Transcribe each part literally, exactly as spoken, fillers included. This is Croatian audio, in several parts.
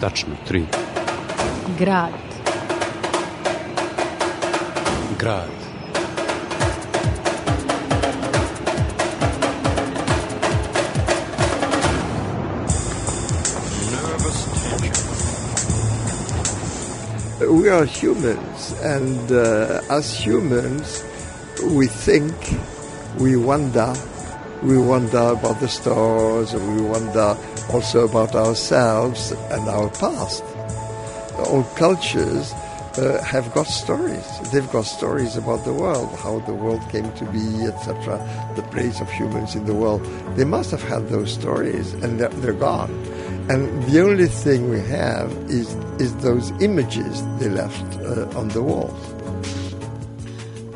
Tačno, tri. Grad. Grad. We are humans, and uh, as humans, we think, we wonder, we wonder about the stars, and we wonder also about ourselves and our past. All cultures uh, have got stories. They've got stories about the world, how the world came to be, et cetera, the place of humans in the world. They must have had those stories, and they're, they're gone. And the only thing we have is, is those images they left uh, on the walls.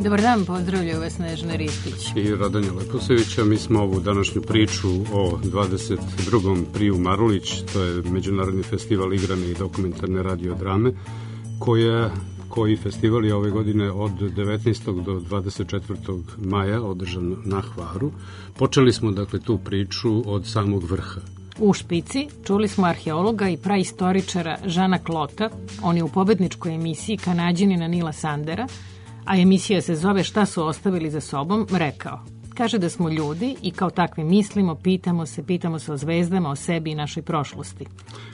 Dobar dan, pozdravljaju vas Snežana Ristić i Radonja Leposevića. Mi smo ovu današnju priču o dvadeset drugom Priju Marulić, to je Međunarodni festival igrane i dokumentarne radiodrame, koja, koji festival je ove godine od devetnaestog do dvadeset četvrtog maja održan na Hvaru. Počeli smo dakle tu priču od samog vrha. U špici čuli smo arheologa i praistoričara Žana Klota, on je u pobedničkoj emisiji Kanađanina Nila Sandera, a emisija se zove Šta su ostavili za sobom, rekao. Kaže da smo ljudi i kao takvi mislimo, pitamo se, pitamo se o zvezdama, o sebi i našoj prošlosti.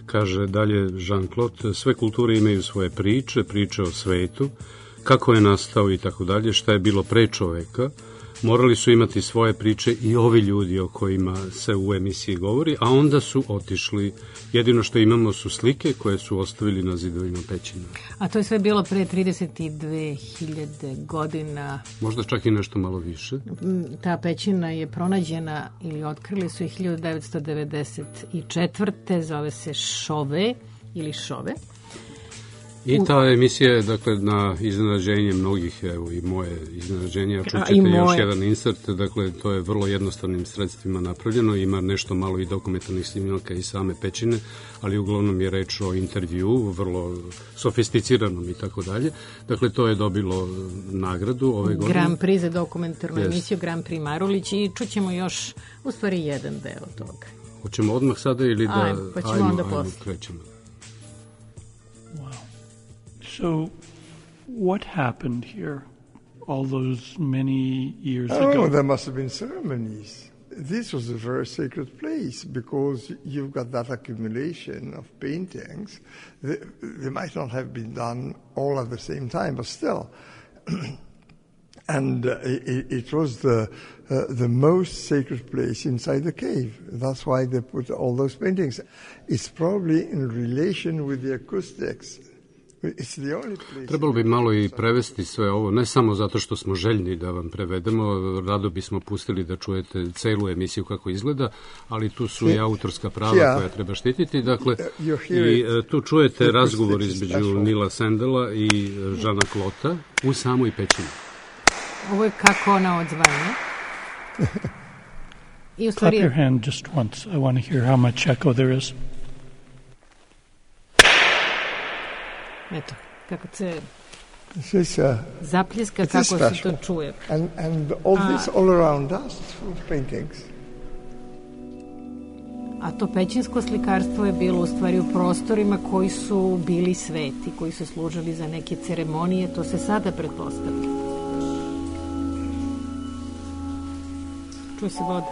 Kaže dalje Jean-Claude, sve kulture imaju svoje priče, priče o svetu, kako je nastao i tako dalje, šta je bilo pre čoveka. Morali su imati svoje priče i ovi ljudi o kojima se u emisiji govori, a onda su otišli. Jedino što imamo su slike koje su ostavili na zidovima pećina. A to je sve bilo pre trideset dve hiljade godina. Možda čak i nešto malo više. Ta pećina je pronađena ili otkrili su je hiljadu devetsto devedeset četvrte zove se Šove ili Šove. I ta emisija je, dakle, na iznenađenje mnogih, evo i moje iznenađenje, a čućete još jedan insert, dakle, to je vrlo jednostavnim sredstvima napravljeno, ima nešto malo i dokumentarnih snimaka i same pećine, ali uglavnom je reč o intervju, vrlo sofisticiranom i tako dalje. Dakle, to je dobilo nagradu ove godine. Grand Prix za dokumentarnu yes. emisiju Grand Prix Marulić i čućemo još, u stvari, jedan deo toga. Hoćemo odmah sada ili da... Ajmo, pa ćemo ajmo, onda ajmo, posle. Krećemo. So, what happened here all those many years oh, ago? Oh, there must have been ceremonies. This was a very sacred place because you've got that accumulation of paintings. They, they might not have been done all at the same time, but still. And uh, it, it was the uh, the most sacred place inside the cave. That's why they put all those paintings. It's probably in relation with the acoustics. Trebalo bi malo i prevesti sve ovo, ne samo zato što smo željni da vam prevedemo, rado bismo pustili da čujete celu emisiju kako izgleda, ali tu su i autorska prava koja treba štititi, dakle, i tu čujete razgovor između Nila Sandela i Žana Klota u samoj pećini. Ovo je kako ona odzvanja. Clap your hand just once. I want to hear how much echo there is. Eto, kako se is, uh, zapljeska, kako se to čuje. And, and all a, this all around us, full of paintings. A to pećinsko slikarstvo je bilo u stvari u prostorima koji su bili sveti, koji su služili za neke ceremonije, to se sada pretpostavlja. Čuje se voda.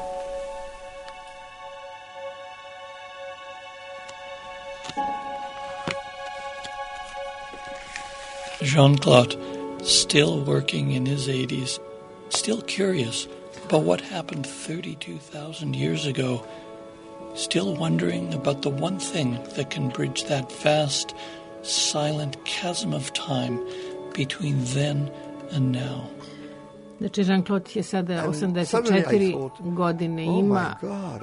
Jean-Claude, still working in his eighties, still curious about what happened thirty-two thousand years ago, still wondering about the one thing that can bridge that vast, silent chasm of time between then and now. Znači, Jean-Claude je sada osamdeset četiri godine ima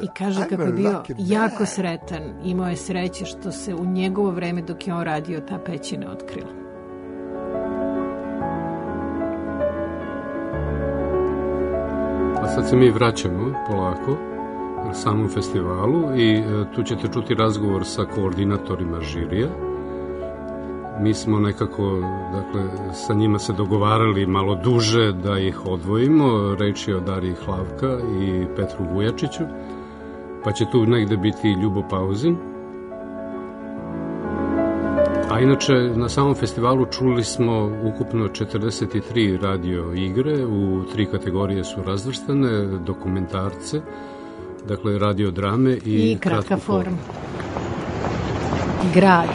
i kaže kako je bio jako sretan. Imao je sreće što se u njegovo vreme dok je on radio ta pećina otkrila. A sad se mi vraćamo polako na samom festivalu i tu ćete čuti razgovor sa koordinatorima žirija. Mi smo nekako, dakle, sa njima se dogovarali malo duže da ih odvojimo. Reč je o Dariji Hlavka i Petru Vujačiću, pa će tu negde biti Ljubo Pauzin. A inače, na samom festivalu čuli smo ukupno četrdeset tri radio igre, u tri kategorije su razvrstane, dokumentarce, dakle radio drame i, I kratka forma. Grad.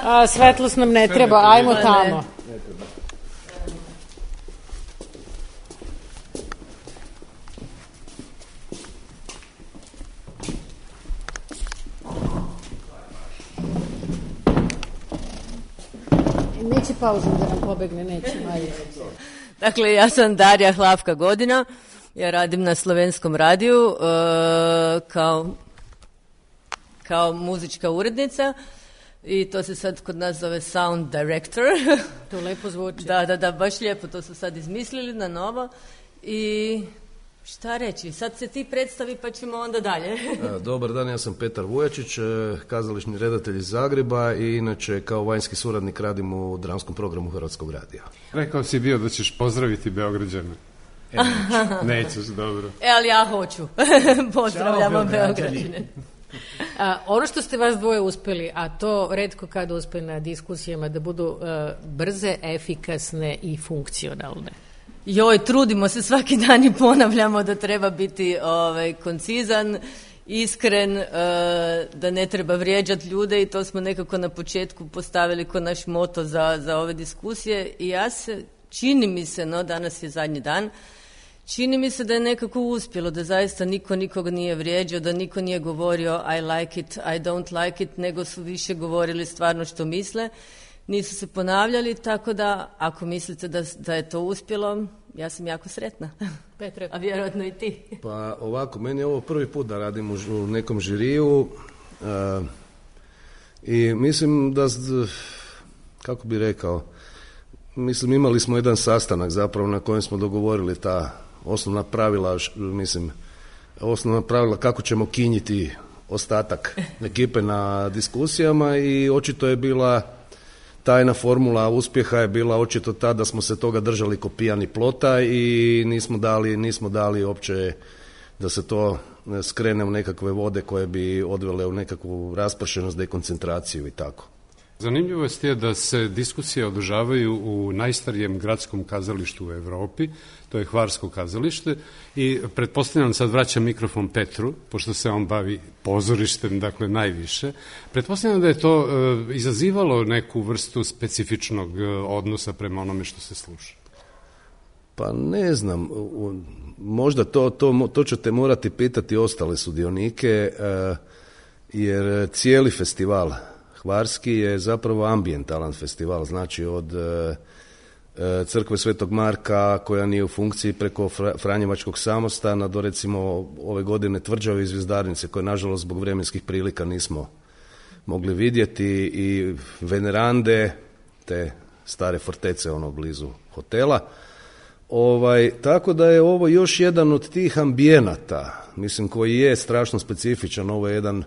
A, svetlost nam ne treba, ajmo tamo. Neće pauzom da nam pobegne, neće. Dakle, ja sam Darija Hlavka Godina, ja radim na Slovenskom radiju uh, kao, kao muzička urednica i to se sad kod nas zove sound director. To lepo zvuči. Da, da, da, baš lijepo, to su sad izmislili na novo i šta reći, sad se ti predstavi pa ćemo onda dalje. Dobar dan, ja sam Petar Vujačić, kazališni redatelj iz Zagreba i inače kao vanjski suradnik radim u dramskom programu Hrvatskog radija. Rekao si bio da ćeš pozdraviti Beograđane. E, neću. Nećeš, dobro. E, ali ja hoću. Pozdravljamo Beograđane. A, ono što ste vas dvoje uspeli, a to retko kad uspe na diskusijama, da budu uh, brze, efikasne i funkcionalne. Joj, trudimo se svaki dan i ponavljamo da treba biti ovaj, koncizan, iskren, uh, da ne treba vrijeđati ljude i to smo nekako na početku postavili kao naš moto za, za ove diskusije i ja se, čini mi se, no danas je zadnji dan, čini mi se da je nekako uspjelo, da zaista niko nikoga nije vrijeđao, da niko nije govorio I like it, I don't like it, nego su više govorili stvarno što misle, nisu se ponavljali, tako da ako mislite da, da je to uspjelo, ja sam jako sretna. Petre. A vjerojatno i ti. Pa ovako, meni je ovo prvi put da radim u nekom žiriju uh, i mislim da, kako bi rekao, mislim imali smo jedan sastanak zapravo na kojem smo dogovorili ta osnovna pravila, mislim, osnovna pravila kako ćemo kinjiti ostatak ekipe na diskusijama i očito je bila tajna formula uspjeha je bila očito ta da smo se toga držali ko pijani plota i nismo dali, nismo dali uopće da se to skrene u nekakve vode koje bi odvele u nekakvu raspršenost, dekoncentraciju i tako. Zanimljivost je da se diskusije održavaju u najstarijem gradskom kazalištu u Evropi, to je Hvarsko kazalište i pretpostavljam, sad vraćam mikrofon Petru, pošto se on bavi pozorištem, dakle najviše, pretpostavljam da je to e, izazivalo neku vrstu specifičnog e, odnosa prema onome što se sluša. Pa ne znam, možda to, to, to ćete morati pitati ostale sudionike, e, jer cijeli festival Hvarski je zapravo ambijentalan festival, znači od e, crkve Svetog Marka koja nije u funkciji preko Franjevačkog samostana do recimo ove godine Tvrđave i Zvjezdarnice koje nažalost zbog vremenskih prilika nismo mogli vidjeti i Venerande, te stare fortece ono blizu hotela. Ovaj, tako da je ovo još jedan od tih ambijenata, mislim koji je strašno specifičan, ovo je jedan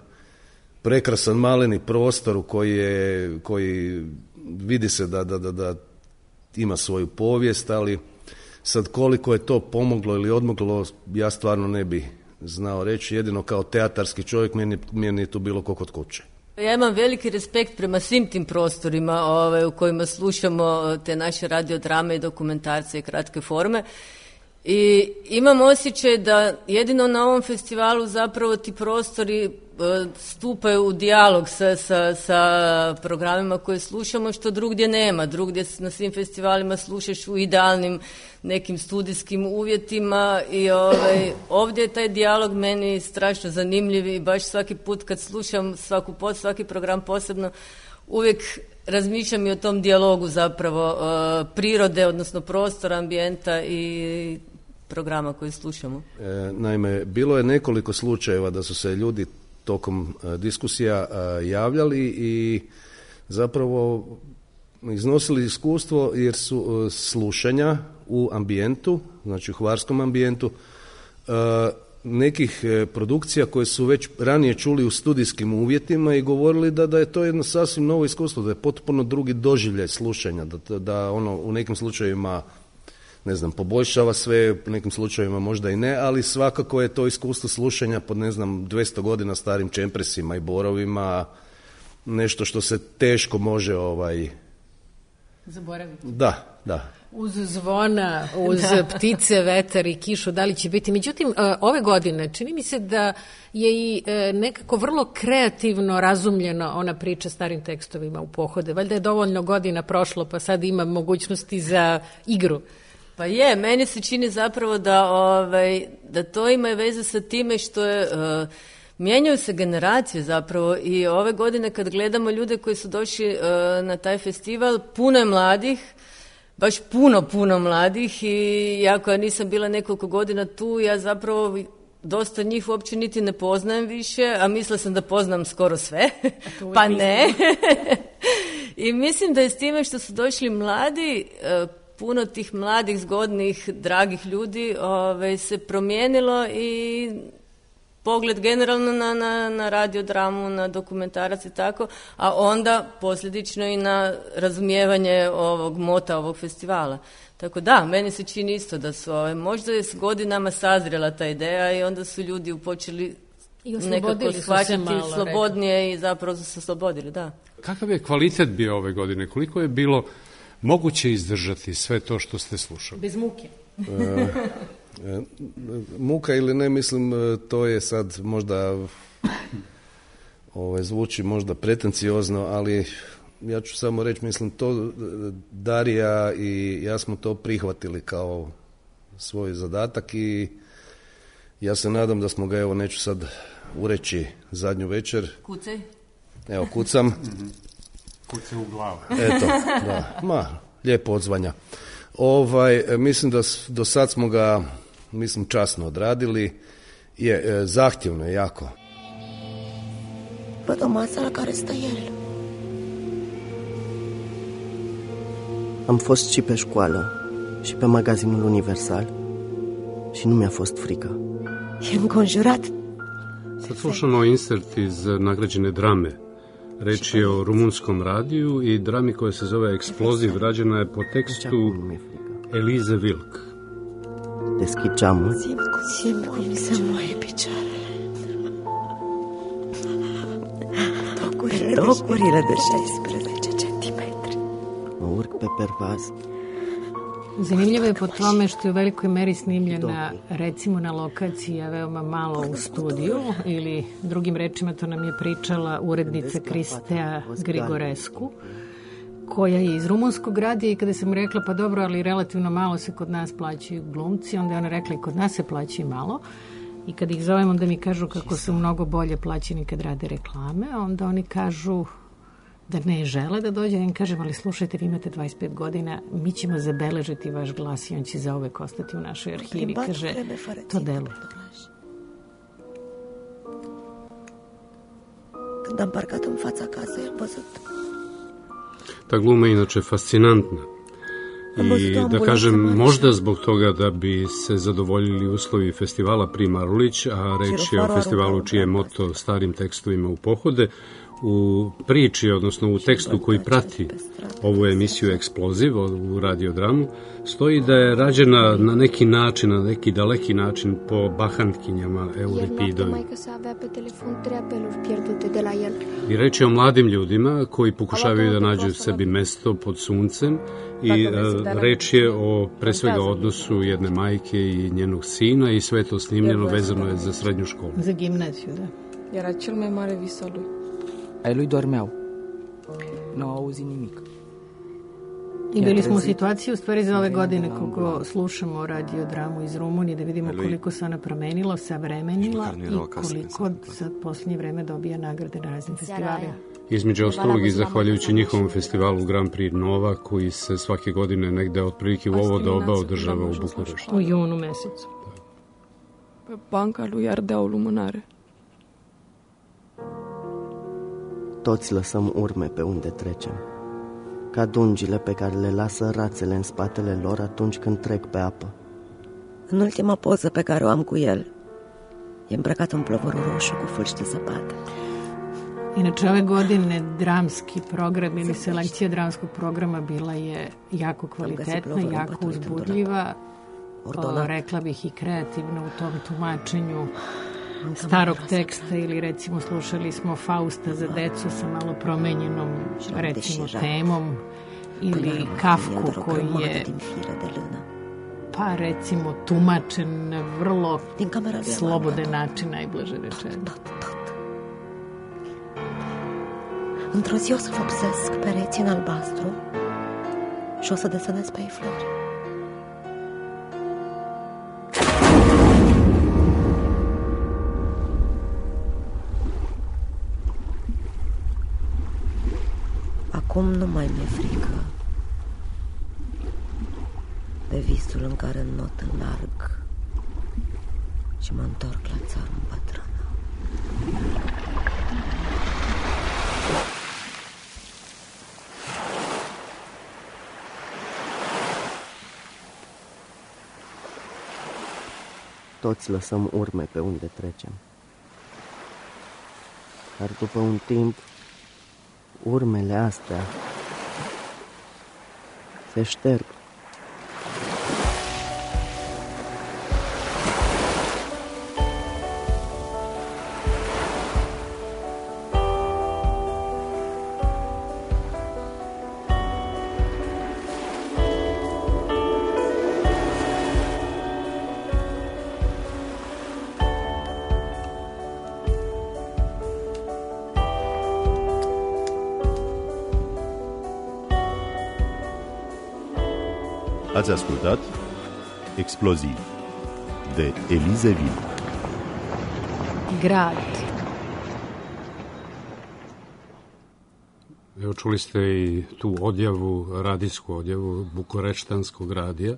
prekrasan maleni prostor u koji, je, koji vidi se da, da, da, da ima svoju povijest, ali sad koliko je to pomoglo ili odmoglo, ja stvarno ne bi znao reći, jedino kao teatarski čovjek meni, meni je tu bilo ko kod kuće. Ja imam veliki respekt prema svim tim prostorima ove, u kojima slušamo te naše radiodrame i dokumentarce i kratke forme. I imam osjećaj da jedino na ovom festivalu zapravo ti prostori stupaju u dijalog sa, sa, sa programima koje slušamo, što drugdje nema. Drugdje na svim festivalima slušaš u idealnim nekim studijskim uvjetima i ovaj, ovdje je taj dijalog meni strašno zanimljiv i baš svaki put kad slušam svaku pod, svaki program posebno, uvijek razmišljam i o tom dijalogu zapravo uh, prirode, odnosno prostora, ambijenta i programa koji slušamo. E, naime, bilo je nekoliko slučajeva da su se ljudi tokom e, diskusija e, javljali i zapravo iznosili iskustvo jer su e, slušanja u ambijentu, znači u hvarskom ambijentu, e, nekih produkcija koje su već ranije čuli u studijskim uvjetima i govorili da, da je to jedno sasvim novo iskustvo, da je potpuno drugi doživljaj slušanja, da, da ono u nekim slučajevima, ne znam, poboljšava sve, u nekim slučajevima možda i ne, ali svakako je to iskustvo slušanja pod, ne znam, dvjesto godina starim čempresima i borovima, nešto što se teško može ovaj... zaboraviti. Da, da. Uz zvona, uz ptice, vetar i kišu, da li će biti. Međutim, ove godine čini mi se da je i nekako vrlo kreativno razumljeno ona priča starim tekstovima u pohode. Valjda je dovoljno godina prošlo, pa sad ima mogućnosti za igru. Pa je, meni se čini zapravo da, ovaj, da to ima veze sa time što je... Uh, mijenjaju se generacije zapravo i ove godine kad gledamo ljude koji su došli uh, na taj festival, puno je mladih, baš puno, puno mladih i ja koja nisam bila nekoliko godina tu, ja zapravo dosta njih uopće niti ne poznajem više, a mislila sam da poznam skoro sve, pa ne. I mislim da je s time što su došli mladi, uh, puno tih mladih, zgodnih, dragih ljudi ove, se promijenilo i pogled generalno na, na, na radiodramu, na dokumentarac i tako, a onda posljedično i na razumijevanje ovog mota ovog festivala. Tako da, meni se čini isto da su, ove, možda je s godinama sazrela ta ideja i onda su ljudi počeli nekako shvaćati slobodnije rekao. I zapravo su se oslobodili, da. Kakav je kvalitet bio ove godine? Koliko je bilo moguće izdržati sve to što ste slušali? Bez muke. e, e, muka ili ne, mislim, to je sad možda ovaj, zvuči možda pretenciozno, ali ja ću samo reći, mislim, to Darija i ja smo to prihvatili kao svoj zadatak i ja se nadam da smo ga, evo, neću sad ureći zadnju večer. Kucaj. Evo, kucam. Kuce u glavu. Eto, da, ma, lijepo odzvanja. Ovaj, mislim da do sad smo ga, mislim, časno odradili. Je, e, zahtjevno je jako. Văd o masă la care stă el. Am fost și pe școală, și pe magazinul Universal, și nu mi-a fost frică. E înconjurat. Sad slušamo insert iz nagrađene drame. Reč je o rumunskom radiju i drami koja se zove Eksploziv, rađena je po tekstu Elize Wilk. Deschid geamul. Simt, simt cum mi se moaie picioarele. Locurile, locurile de šesnaest centimetri. Mă urc pe pervaz. Zanimljivo je po tome što je u velikoj meri snimljena recimo na lokaciji, a veoma malo u studiju, ili drugim rečima to nam je pričala urednica Kristea Grigorescu, koja je iz rumunskog radija i kada sam rekla pa dobro, ali relativno malo se kod nas plaćaju glumci, onda je ona rekla i kod nas se plaćaju malo i kad ih zovem onda mi kažu kako su mnogo bolje plaćeni kad rade reklame, onda oni kažu da ne žele da dođe, ja im kažem, ali slušajte, vi imate dvadeset pet godina, mi ćemo zabeležiti vaš glas i on će zauvek ostati u našoj arhivi. Kaže, to deluje. Când am parcat în fața casei, am văzut. Ta gluma je inače fascinantna. I da kažem, možda zbog toga da bi se zadovoljili uslovi festivala Pri Marulić, a reč je o festivalu čije moto starim tekstovima u pohode, u priči, odnosno u tekstu koji prati ovu emisiju Eksploziv, u radiodramu, stoji da je rađena na neki način, na neki daleki način po bahantkinjama Euripidovi. I reč je o mladim ljudima koji pokušavaju da nađu sebi mesto pod suncem i reč je o pre svega odnosu jedne majke i njenog sina i sve to snimljeno vezano je za srednju školu. Za gimnaziju, da. Era cel mai mare vis al lui. Ai lui dormeau. Nu au auzit nimic. I bili smo u situaciji u stvari za ove godine koliko slušamo radiodramu iz Rumunije da vidimo koliko se ona promenila, savremenila i koliko sad posljednje vreme dobija nagrade na raznim festivalima. Između ostalog i zahvaljujući njihovom festivalu Grand Prix Nova koji se svake godine negde otprilike u ovo doba održava u Bukureštu. U junu mesecu. Pe banca lui ardeau lumânare. Toți lăsăm urme pe unde trecem, ca dungile pe care le lasă rațele în spatele lor atunci când trec pe apă. În ultima poză pe care o am cu el, E îmbrăcat în plovorul roșu cu fâlci de zăpadă. Inače, ove godine dramski program ili selekcija dramskog programa bila je jako kvalitetna, jako uzbudljiva, o, rekla bih i kreativna u tom tumačenju starog teksta ili recimo slušali smo Fausta za decu sa malo promenjenom recimo temom ili Kafku koji je pa recimo tumačen na vrlo slobodan način, najblaže rečeno. Într-o zi o să vopsesc pereții în albastru și o să desenez pe ei flori. Acum nu mai mi-e frică de visul în care not înlarg și mă întorc la țară îmbătrână. Toți lăsăm urme pe unde trecem. Dar după un timp, urmele astea se șterg. Ați ascultat Explozii de Elize Vil. Grad. Evo, čuli ste i tu odjavu, radijsku odjavu bukureštanskog radija,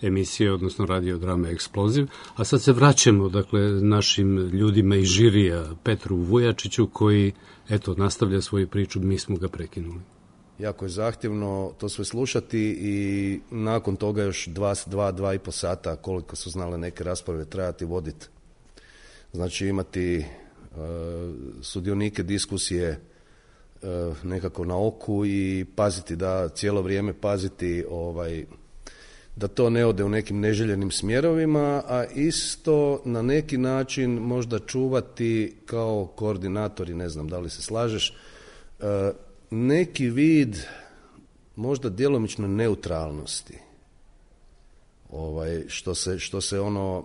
emisije, odnosno radio drame Eksploziv. A sad se vraćamo, dakle, našim ljudima iz žirija, Petru Vujačiću, koji, eto, nastavlja svoju priču, mi smo ga prekinuli. Jako je zahtjevno to sve slušati i nakon toga još dva, dva, dva i po sata, koliko su znale neke rasprave, trajati voditi. Znači imati uh, sudionike diskusije uh, nekako na oku i paziti da cijelo vrijeme paziti ovaj, da to ne ode u nekim neželjenim smjerovima, a isto na neki način možda čuvati kao koordinatori, ne znam da li se slažeš, uh, neki vid možda djelomično neutralnosti, ovaj, što se, što se ono,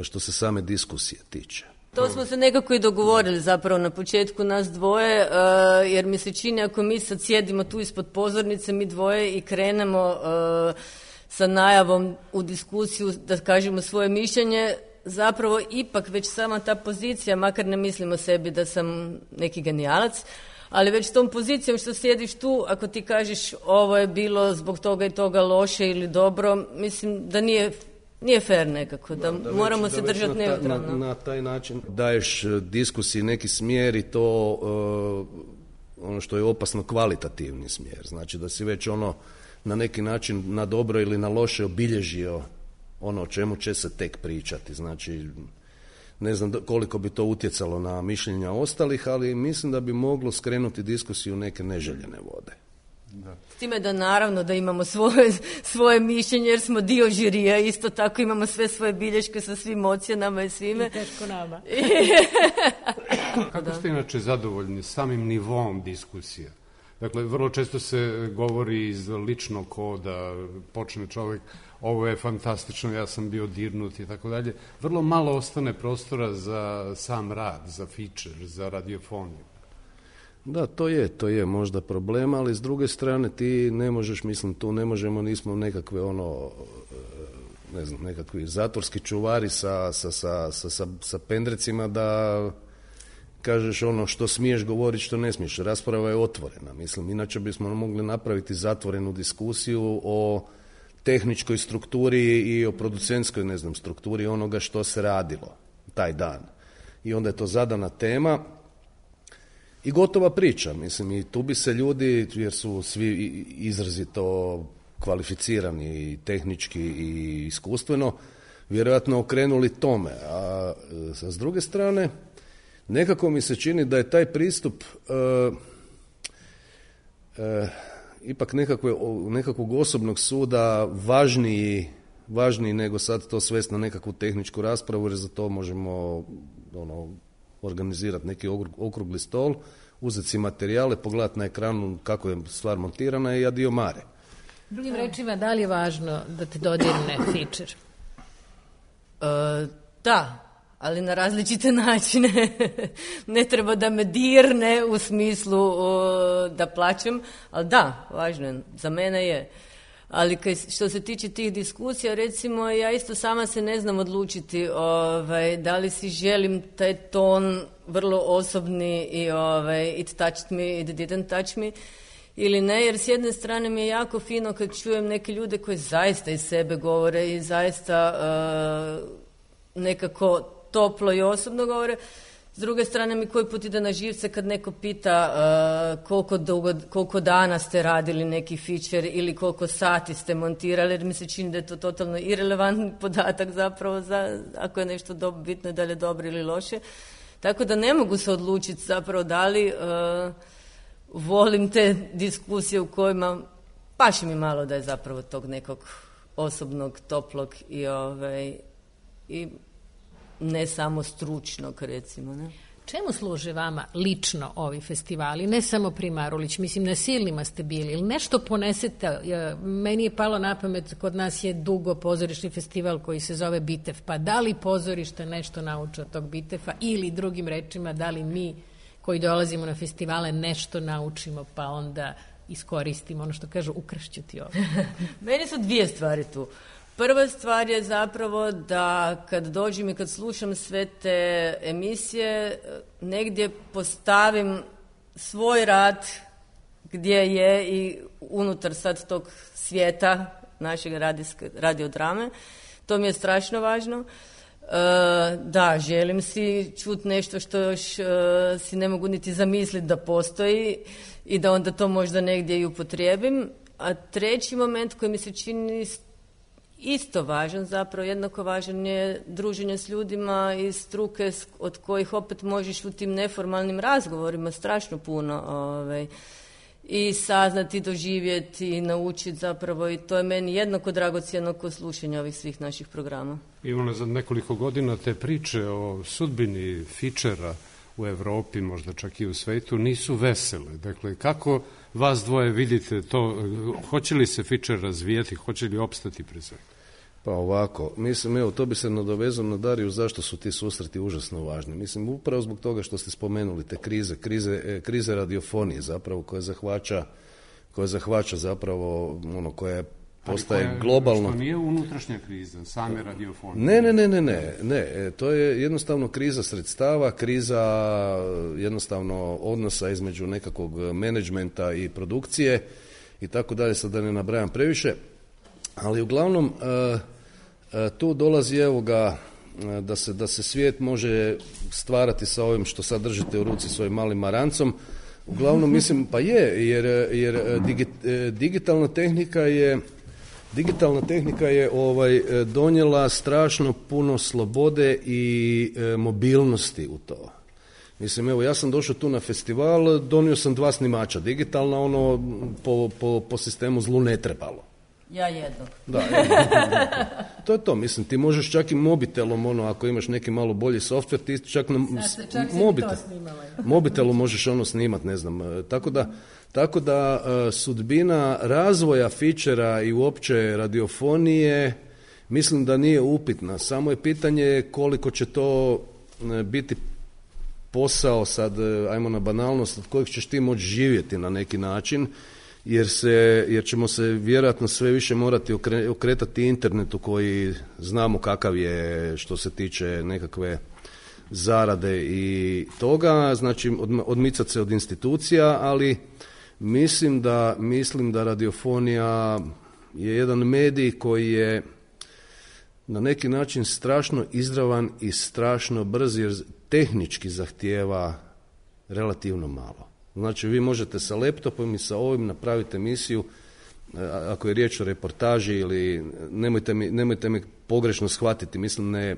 što se same diskusije tiče. To smo se nekako i dogovorili zapravo na početku nas dvoje, uh, jer mi se čini ako mi sad sjedimo tu ispod pozornice, mi dvoje i krenemo uh, sa najavom u diskusiju da kažemo svoje mišljenje, zapravo ipak već sama ta pozicija, makar ne mislimo sebi da sam neki genijalac, ali već s tom pozicijom što sjediš tu, ako ti kažeš ovo je bilo zbog toga i toga loše ili dobro, mislim da nije, nije fair nekako, da, da, da moramo već, se da držati neutralno. Na, na taj način daješ diskusiji neki smjer i to uh, ono što je opasno kvalitativni smjer. Znači da si već ono na neki način na dobro ili na loše obilježio ono o čemu će se tek pričati. Znači ne znam koliko bi to utjecalo na mišljenja ostalih, ali mislim da bi moglo skrenuti diskusiju u neke neželjene vode. Da. S time da naravno da imamo svoje, svoje mišljenje jer smo dio žirija, isto tako imamo sve svoje bilješke sa svim ocjenama i svime. I teško nama. Kako ste inače zadovoljni samim nivom diskusija? Dakle, vrlo često se govori iz ličnog koda, počne čovjek, ovo je fantastično, ja sam bio dirnut i tako dalje. Vrlo malo ostane prostora za sam rad, za feature, za radiofoniju. Da, to je, to je možda problem, ali s druge strane ti ne možeš, mislim, tu ne možemo, nismo nekakve ono, ne znam, nekakvi zatvorski čuvari sa, sa, sa, sa, sa, sa pendrecima da kažeš ono što smiješ govoriti, što ne smiješ. Rasprava je otvorena, mislim, inače bismo mogli napraviti zatvorenu diskusiju o tehničkoj strukturi i o producentskoj, ne znam, strukturi onoga što se radilo taj dan. I onda je to zadana tema i gotova priča, mislim, i tu bi se ljudi, jer su svi izrazito kvalificirani i tehnički i iskustveno, vjerojatno okrenuli tome. A, a s druge strane, nekako mi se čini da je taj pristup uh, uh, ipak nekakve, nekakvog osobnog suda važniji, važniji nego sad to svesti na nekakvu tehničku raspravu, jer za to možemo ono, organizirati neki okrugli stol, uzeti si materijale, pogledati na ekranu kako je stvar montirana i adio mare. Drugim rečima, da li je važno da te dodirne feature? E, da, ali na različite načine. Ne treba da me dirne u smislu o, da plaćem, ali da, važno je, za mene je. Ali kaj, što se tiče tih diskusija, recimo, ja isto sama se ne znam odlučiti ovaj, da li si želim taj ton vrlo osobni i ovaj, it touched me, it didn't touch me, ili ne, jer s jedne strane mi je jako fino kad čujem neke ljude koji zaista iz sebe govore i zaista uh, nekako toplo i osobno govore. S druge strane mi koji put ide na živce kad neko pita uh, koliko, dugo, koliko dana ste radili neki feature ili koliko sati ste montirali, jer mi se čini da je to totalno irelevantan podatak zapravo za, ako je nešto do, bitno da li je dobro ili loše. Tako da ne mogu se odlučiti zapravo da li uh, volim te diskusije u kojima paši mi malo da je zapravo tog nekog osobnog, toplog i, ovaj, i ne samo stručnog, recimo. Ne? Čemu služe vama lično ovi festivali? Ne samo Primarulić, mislim, na Silnima ste bili, ili nešto ponesete? Meni je palo na pamet, kod nas je dugo pozorišni festival koji se zove Bitev, pa da li pozorište nešto nauče od tog Bitefa ili drugim rečima, da li mi koji dolazimo na festivale nešto naučimo pa onda iskoristimo, ono što kažu, ukršću ti ovo. Meni su dvije stvari tu. Prva stvar je zapravo da kad dođem i kad slušam sve te emisije, negdje postavim svoj rad gdje je i unutar sad tog svijeta našeg radiodrame. To mi je strašno važno. Uh, da, želim si čuti nešto što još uh, si ne mogu niti zamisliti da postoji i da onda to možda negdje i upotrijebim. A treći moment koji mi se čini isto važan, zapravo jednako važan, je druženje s ljudima iz struke od kojih opet možeš u tim neformalnim razgovorima strašno puno ovaj, i saznati, doživjeti i naučiti zapravo, i to je meni jednako dragocjeno kod slušanja ovih svih naših programa. Ivana, za nekoliko godina te priče o sudbini fičera u Evropi, možda čak i u svetu, nisu vesele. Dakle, kako vas dvoje vidite to, hoće li se fičer razvijati, hoće li opstati pre svega? Pa ovako, mislim, evo, to bi se nadovezao na Dariju, zašto su ti susreti užasno važni. Mislim, upravo zbog toga što ste spomenuli te krize, krize, krize radiofonije zapravo, koja zahvaća, koja zahvaća zapravo, ono, koja je postaje koja, globalno. Što nije unutrašnja kriza, same radiofonije? Ne, ne, ne, ne, ne, ne, to je jednostavno kriza sredstava, kriza jednostavno odnosa između nekakvog menadžmenta i produkcije i tako dalje, sad da ne nabrajam previše, ali uglavnom uh, uh, tu dolazi, evo ga, uh, da se, da se svijet može stvarati sa ovim što sad držite u ruci svojim malim marancom. Uglavnom mislim, pa je, jer, jer digi, digitalna tehnika je Digitalna tehnika je ovaj, donijela strašno puno slobode i e, mobilnosti u to. Mislim, evo, ja sam došao tu na festival, donio sam dva snimača. Digitalna, ono, po, po, po sistemu zlu ne trebalo. Ja jednog. Da, jednog. To je to, mislim, ti možeš čak i mobitelom, ono, ako imaš neki malo bolji softver, ti čak na čak mobitel, mobitelu možeš ono snimat, ne znam, tako da Tako da uh, sudbina razvoja fičera i uopće radiofonije mislim da nije upitna. Samo je pitanje koliko će to uh, biti posao, sad uh, ajmo na banalnost, od kojeg ćeš ti moći živjeti na neki način, jer, se, jer ćemo se vjerojatno sve više morati okre, okretati internetu koji znamo kakav je što se tiče nekakve zarade i toga, znači od, odmicati se od institucija, ali Mislim da, mislim da radiofonija je jedan medij koji je na neki način strašno izravan i strašno brz, jer tehnički zahtijeva relativno malo. Znači vi možete sa laptopom i sa ovim napraviti emisiju ako je riječ o reportaži ili nemojte mi, nemojte mi pogrešno shvatiti, mislim ne,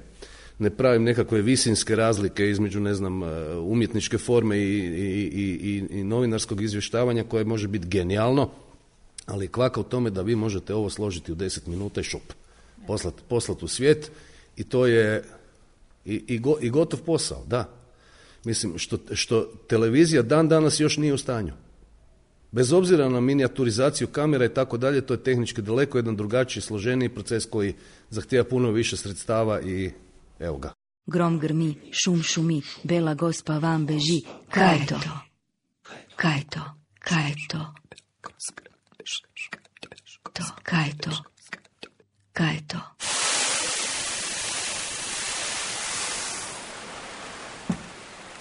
ne pravim nekakve visinske razlike između ne znam umjetničke forme i, i, i, i novinarskog izvještavanja koje može biti genijalno, ali kvaka u tome da vi možete ovo složiti u deset minuta i šup, poslati poslat u svijet i to je i, i, go, i gotov posao, da. Mislim, što, što televizija dan danas još nije u stanju. Bez obzira na minijaturizaciju kamera i tako dalje, to je tehnički daleko jedan drugačiji, složeniji proces koji zahtijeva puno više sredstava i evo ga. Grom grmi, šum šumi, bela gospa van beži. Kaj je to? Kaj je to? Kaj je to? To, kaj je to? Kaj je to?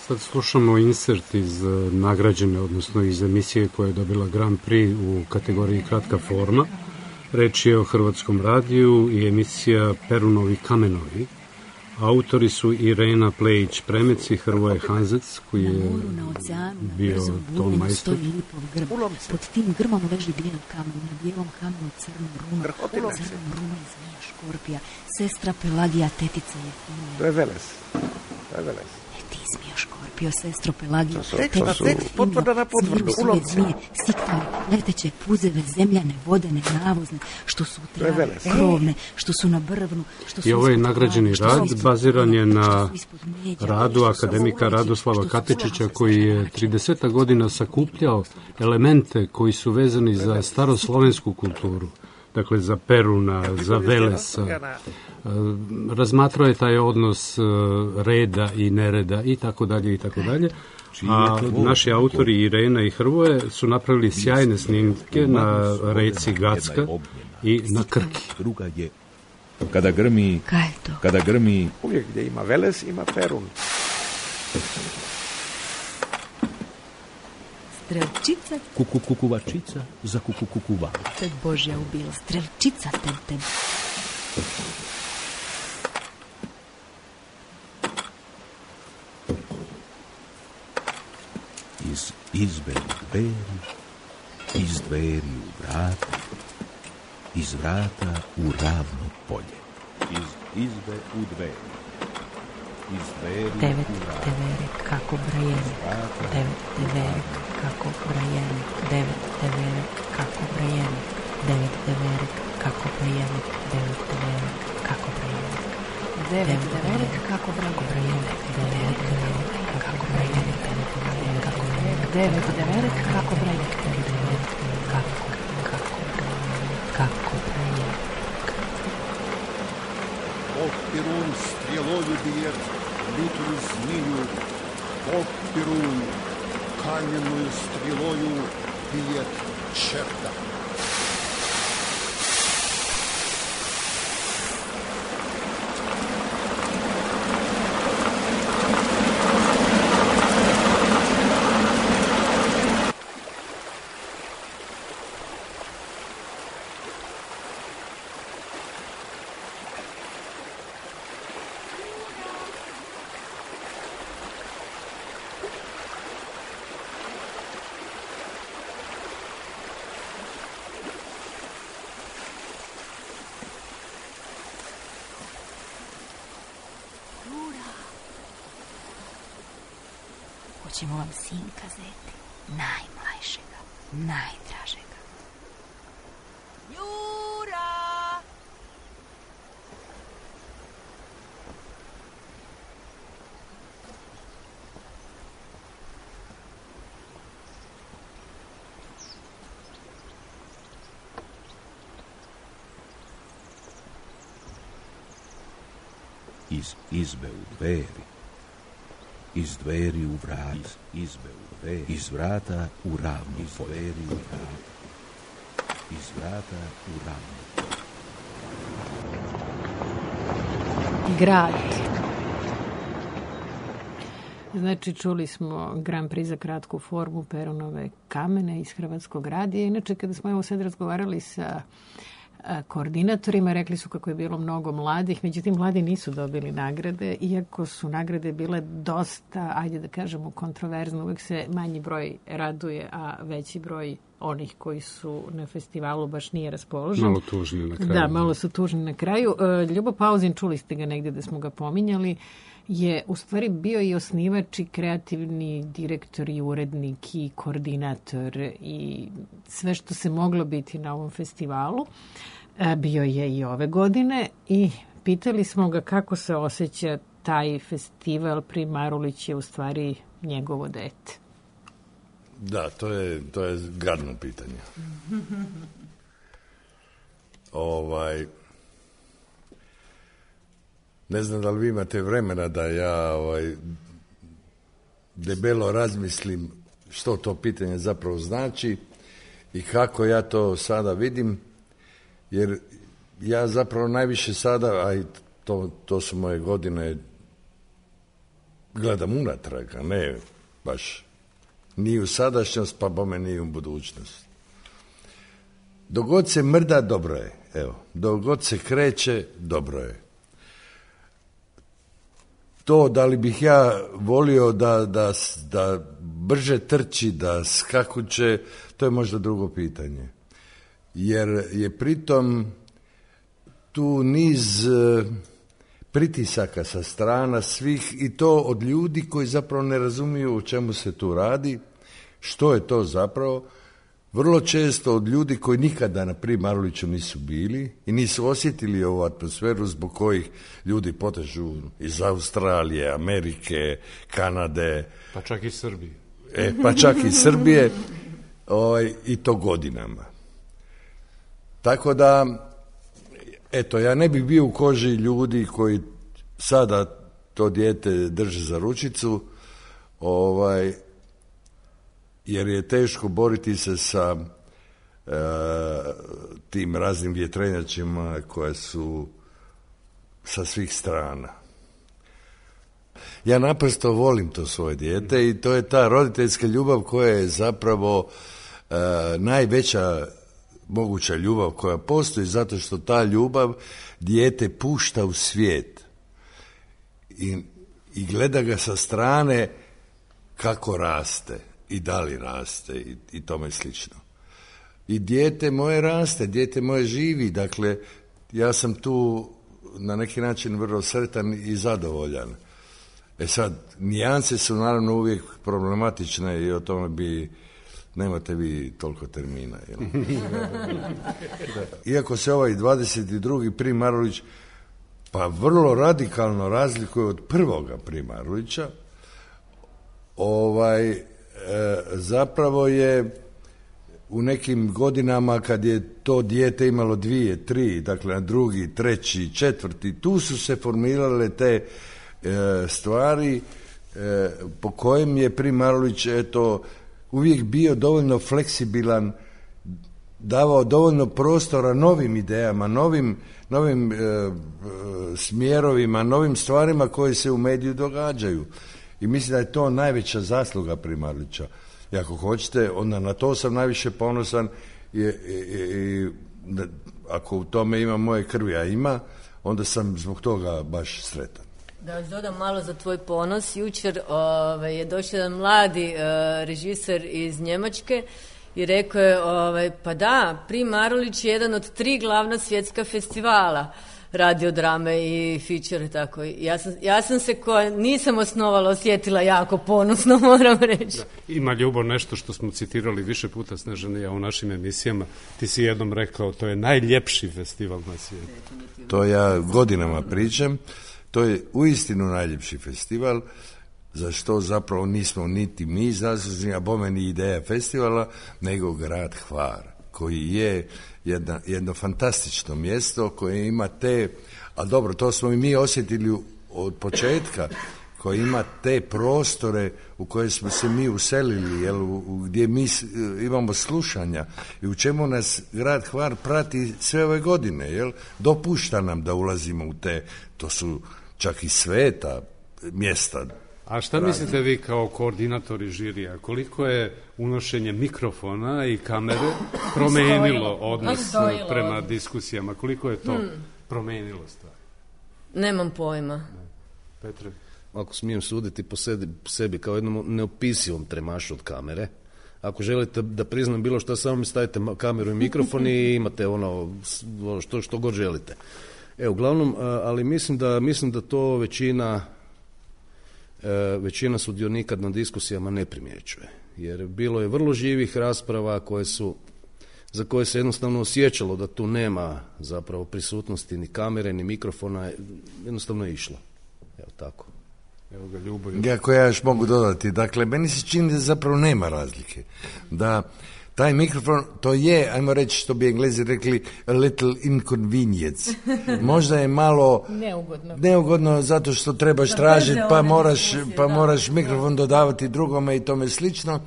Sad slušamo insert iz nagrađene, odnosno iz emisije koja je dobila Grand Prix u kategoriji kratka forma. Reč je o Hrvatskom radiju i emisija Perunovi kamenovi. Autori su Irena Plejić-Premec i Hrvoje Hanzec, koji je bio ton majstor. Pod tim grmom leži bijel kamen, na bijelom kamenu crnu runu, crnom runu je zmija škorpija, sestra Pelagija, tetica je finija. To je Veles, to je Veles. Ti zmijo škorpio, sestro Pelagija, tetica je potvrda na potvrdu, ulovca. Zmije, siktane, leteće, puzeve, zemljane, vodene, navozne, što su u travi, krovne, što su na brvnu, što su i ovaj nagrađeni rad baziran je na radu akademika Radoslava Katičića, koji je trideset godina sakupljao elemente koji su vezani za staroslovensku kulturu, dakle za Peruna, za Velesa. Razmatrao je taj odnos reda i nereda i tako dalje i tako dalje. A naši autori Irena i Hrvoje su napravili sjajne snimke na reci Gacka i na Krki. Druga je kada grmi, kada grmi. Uvijek gdje ima Veles, ima Perun. Strelčica, kuku kukuvačica za kuku kukuva. Te Božja ubila, strelčica te te. Iz izbe u dveri, iz dveri u vrata, iz vrata u ravno polje. Iz izbe u dveri, iz dveri devet u vrata. Devere kako brajene, devet devere kako brajene, devet devere kako brajene, devet devere kako brajene, devet devere kako brajene, devet devere kako brajene, devet devere kako brajene, devet devere kako brajene, kako kako kako brajene. Бог Перун стрелою бьет лютую змею, Бог Перун каменную стрелою бьет черта. Hoćemo vam sinka zeti, najmlajšega, najdražega. Jura! Iz izbe u dveri, iz dveri u vrata, iz izbe u dveri, iz vrata u ravno, iz dveri u vrata, iz vrata u ravno. Grad. Znači, čuli smo Grand Prix za kratku formu Perunove kamene iz Hrvatskog radija. Inače, kada smo evo sad razgovarali sa koordinatorima, rekli su kako je bilo mnogo mladih, međutim mladi nisu dobili nagrade, iako su nagrade bile dosta, ajde da kažemo, kontroverzne. Uvijek se manji broj raduje, a veći broj onih koji su na festivalu baš nije raspoložen. Malo tužni na kraju. Da, malo su tužni na kraju. Ljubo Pauzin, čuli ste ga negdje da smo ga pominjali, je u stvari bio i osnivač i kreativni direktor i urednik i koordinator i sve što se moglo biti na ovom festivalu. Bio je i ove godine i pitali smo ga kako se osjeća taj festival. Prim Marulić je u stvari njegovo dete. Da, to je, to je gadno pitanje. ovaj... Ne znam da li vi imate vremena da ja ovaj, debelo razmislim što to pitanje zapravo znači i kako ja to sada vidim, jer ja zapravo najviše sada, a i to, to su moje godine, gledam unatrag, a ne baš ni u sadašnjost, pa bome ni u budućnost. Dok god se mrda, dobro je. Evo, dok god se kreće, dobro je. To da li bih ja volio da, da, da brže trči, da skakuće, to je možda drugo pitanje. Jer je pritom tu niz pritisaka sa strana svih i to od ljudi koji zapravo ne razumiju o čemu se tu radi, što je to zapravo. Vrlo često od ljudi koji nikada na Prim Maruliću nisu bili i nisu osjetili ovu atmosferu zbog kojih ljudi potežu iz Australije, Amerike, Kanade. Pa čak i Srbije. E, pa čak i Srbije ovaj, i to godinama. Tako da, eto, ja ne bih bio u koži ljudi koji sada to dijete drže za ručicu, ovaj, jer je teško boriti se sa e, tim raznim vjetrenjačima koje su sa svih strana. Ja naprosto volim to svoje dijete i to je ta roditeljska ljubav koja je zapravo e, najveća moguća ljubav koja postoji, zato što ta ljubav dijete pušta u svijet i, i gleda ga sa strane kako raste i da li raste i, i tome slično. I dijete moje raste, dijete moje živi, dakle ja sam tu na neki način vrlo sretan i zadovoljan. E sad, nijanse su naravno uvijek problematične i o tome bi nemate vi toliko termina. Jel? Iako se ovaj dvadeset drugi Prim Marulić pa vrlo radikalno razlikuje od prvoga Prim Marulića, ovaj, e, zapravo je u nekim godinama kad je to dijete imalo dvije, tri, dakle na drugi, treći, četvrti, tu su se formirale te e, stvari e, po kojem je Prim Marulić eto uvijek bio dovoljno fleksibilan, davao dovoljno prostora novim idejama, novim, novim e, e, smjerovima, novim stvarima koje se u mediju događaju. I mislim da je to najveća zasluga Prim Marulića. I ako hoćete, onda na to sam najviše ponosan i, i, i da, ako u tome ima moje krvi, a ima, onda sam zbog toga baš sretan. Da vas dodam malo za tvoj ponos. Jučer ove, je došao jedan mladi e, režiser iz Njemačke i rekao je, ove, pa da, Prim Marulić je jedan od tri glavna svjetska festivala radiodrame i feature, tako. Ja sam, ja sam se koja nisam osnovala osjetila jako ponosno, moram reći. Da, ima Ljubo nešto što smo citirali više puta, Snežana i ja, u našim emisijama. Ti si jednom rekao, to je najljepši festival na svijetu. To ja godinama pričam. To je uistinu najljepši festival, za što zapravo nismo niti mi zaslužni, a bome ni ideja festivala, nego grad Hvar, koji je jedna, jedno fantastično mjesto koje ima te, a dobro, to smo i mi osjetili od početka, koji ima te prostore u koje smo se mi uselili, jel, u, u, gdje mi imamo slušanja i u čemu nas grad Hvar prati sve ove godine, jel, dopušta nam da ulazimo u te, to su čak i sveta mjesta. A šta radi. Mislite vi kao koordinatori žirija, koliko je unošenje mikrofona i kamere promijenilo odnos prema diskusijama, koliko je to hmm. promijenilo stvar? Nemam pojma. Ne. Petre? Ako smijem suditi po sebi, po sebi kao jednom neopisivom tremašu od kamere, Ako želite da priznam bilo što, samo mi stavite kameru i mikrofon i imate ono što, što god želite. E, uglavnom, ali mislim da, mislim da to većina, većina sudionika na diskusijama ne primjećuje. Jer bilo je vrlo živih rasprava koje su, za koje se jednostavno osjećalo da tu nema zapravo prisutnosti ni kamere, ni mikrofona, jednostavno je išlo. Evo tako. Evo ga, Ljubo. Ja, koja još mogu dodati, dakle, meni se čini da zapravo nema razlike. Da taj mikrofon, to je, ajmo reći što bi Englezi rekli, a little inconvenience. Možda je malo neugodno, neugodno zato što trebaš tražiti, pa moraš, pa moraš mikrofon dodavati drugome i tome slično,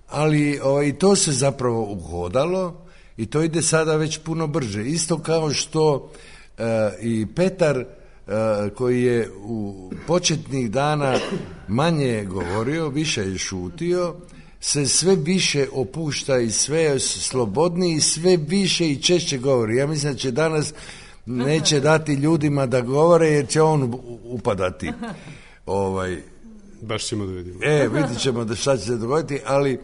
ali o, i to se zapravo uhodalo i to ide sada već puno brže. Isto kao što e, i Petar, e, koji je u početnih dana manje govorio, više je šutio, se sve više opušta i sve je slobodniji i sve više i češće govori. Ja mislim da će danas neće dati ljudima da govore jer će on upadati. Ovaj, Baš ćemo da vidimo. E, vidit ćemo da šta će se dogoditi, ali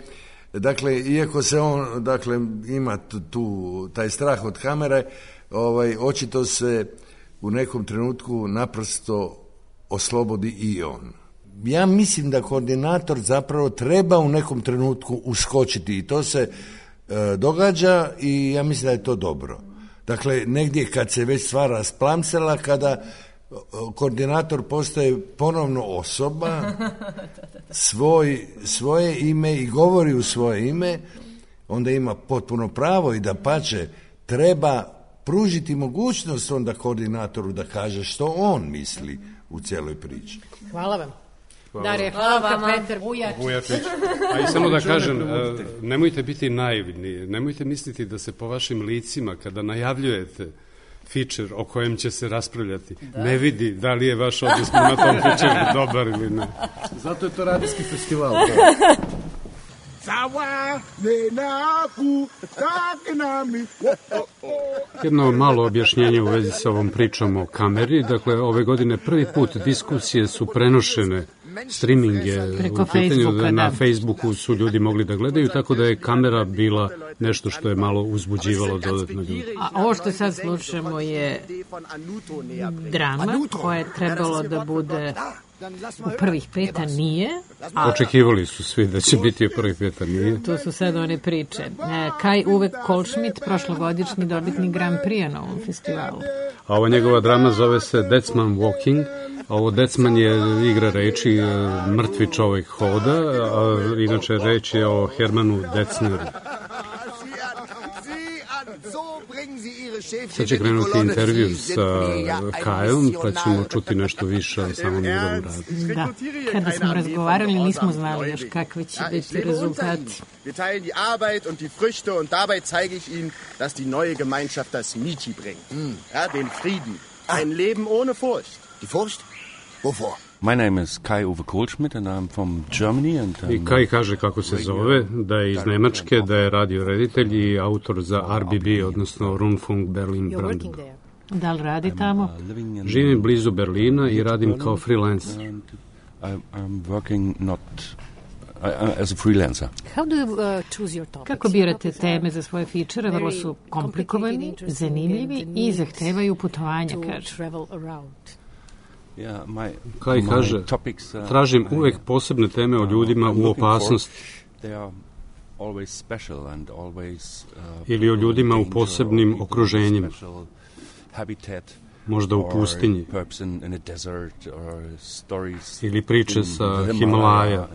dakle, iako se on dakle, ima tu, tu taj strah od kamere, ovaj, očito se u nekom trenutku naprosto oslobodi i on. Ja mislim da koordinator zapravo treba u nekom trenutku uskočiti i to se e, događa i ja mislim da je to dobro. Dakle, negdje kad se već stvar rasplamsela, kada koordinator postaje ponovno osoba, svoj, svoje ime i govori u svoje ime, onda ima potpuno pravo i da pače treba pružiti mogućnost onda koordinatoru da kaže što on misli u cijeloj priči. Hvala vam. Hvala. Darija, hvala, Petar Vujačić. A i samo da kažem, nemojte biti naivni, nemojte misliti da se po vašim licima, kada najavljujete feature o kojem će se raspravljati, da. ne vidi da li je vaš odnos na tom feature dobar ili ne. Zato je to radijski festival. Jedno malo objašnjenje u vezi sa ovom pričom o kameri. Dakle, ove godine prvi put diskusije su prenošene, streaming je preko u pitanju, Facebooka, na da. Facebooku su ljudi mogli da gledaju, tako da je kamera bila nešto što je malo uzbuđivalo dodatno ljudi. A ovo što sad slušamo je drama koja je trebalo da bude u prvih peta, nije. A očekivali su svi da će biti u prvih peta, nije. To su sad one priče. Kaj Uwe Kohlschmidt, prošlogodišnji dobitnik Grand Prix na ovom festivalu. A ova njegova drama zove se Deathman Walking. Ovo Deathman je igra reči, mrtvi čovjek hoda, a inače reč je o Hermanu Detzneru. Sad će krenuti intervju sa Kajom, pa ćemo čuti nešto više o samom njegovom radu. Da, kada smo razgovarali nismo znali još kakvi će biti rezultati. Wir teilen die Arbeit und die Früchte und dabei zeige ich Ihnen, dass die neue Gemeinschaft das Michi bringt. Ja, den Frieden. Ein Leben ohne Furcht. Die Furcht? Wovor? My name is Kai Uwe Kohlschmidt and I'm from Germany. And I Kai kaže kako se zove, da je iz Nemačke, da je radio reditelj i autor za R B B, odnosno Rundfunk Berlin Brandenburg. Da li radi tamo? Živim blizu Berlina i radim kao freelance. I'm working not as a freelancer. How do you uh, choose your topics? Kako birate teme za svoje fičere? Vrlo su komplikovani, zanimljivi i zahtevaju putovanja, kaže. Kaj kaže, tražim uvek posebne teme o ljudima u opasnosti ili o ljudima u posebnim okruženjima, možda u pustinji ili priče sa Himalaja.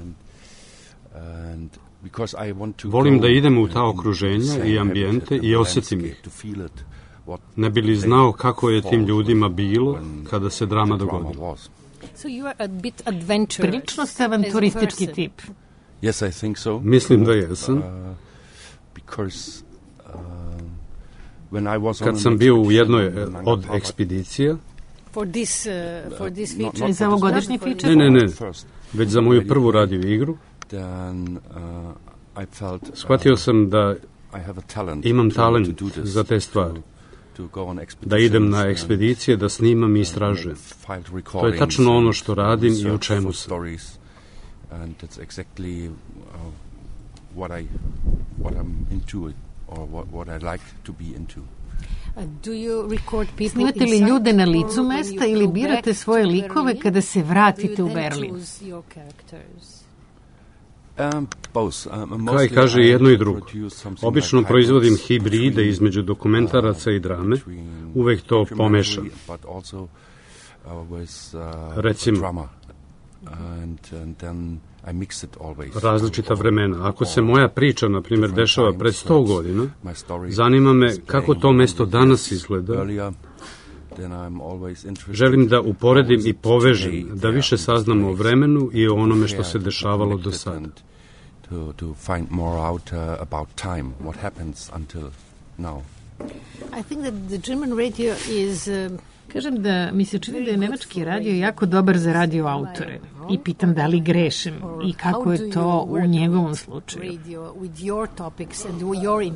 Volim da idem u ta okruženja i ambijente i osjetim ih. Ne bi li znao kako je tim ljudima bilo kada se drama dogodila. So you are a bit adventurous. Prilično ste avanturistički tip. Yes, I think so. Mislim da jesam. Uh, because uh, when I was Kad sam bio u jednoj od ekspedicija, for this uh, for this feature, za ovogodišnji feature? Ne, ne, ne. Već za moju prvu radio igru. Then uh, I felt shvatio sam da imam talent za te stvari. Da idem na ekspedicije, da snimam i istražujem. To je tačno ono što radim i u čemu sam. what I what I'm into or what what I like to be into. Snimate li ljude na licu mesta ili birate svoje likove kada se vratite u Berlin? Um, both. Um, Kaj kaže jedno i drugo. Obično proizvodim hibride između dokumentaraca i drame. Uvek to pomešam. Recimo, različita vremena. Ako se moja priča, na primjer, dešava pred sto godina, zanima me kako to mesto danas izgleda. Želim da uporedim i povežem, da više saznamo o vremenu i o onome što se dešavalo do sada. I think that the German radio is... Uh... Kažem da mi se čini da je nemački radio jako dobar za radio autore i pitam da li grešim i kako je to u njegovom slučaju.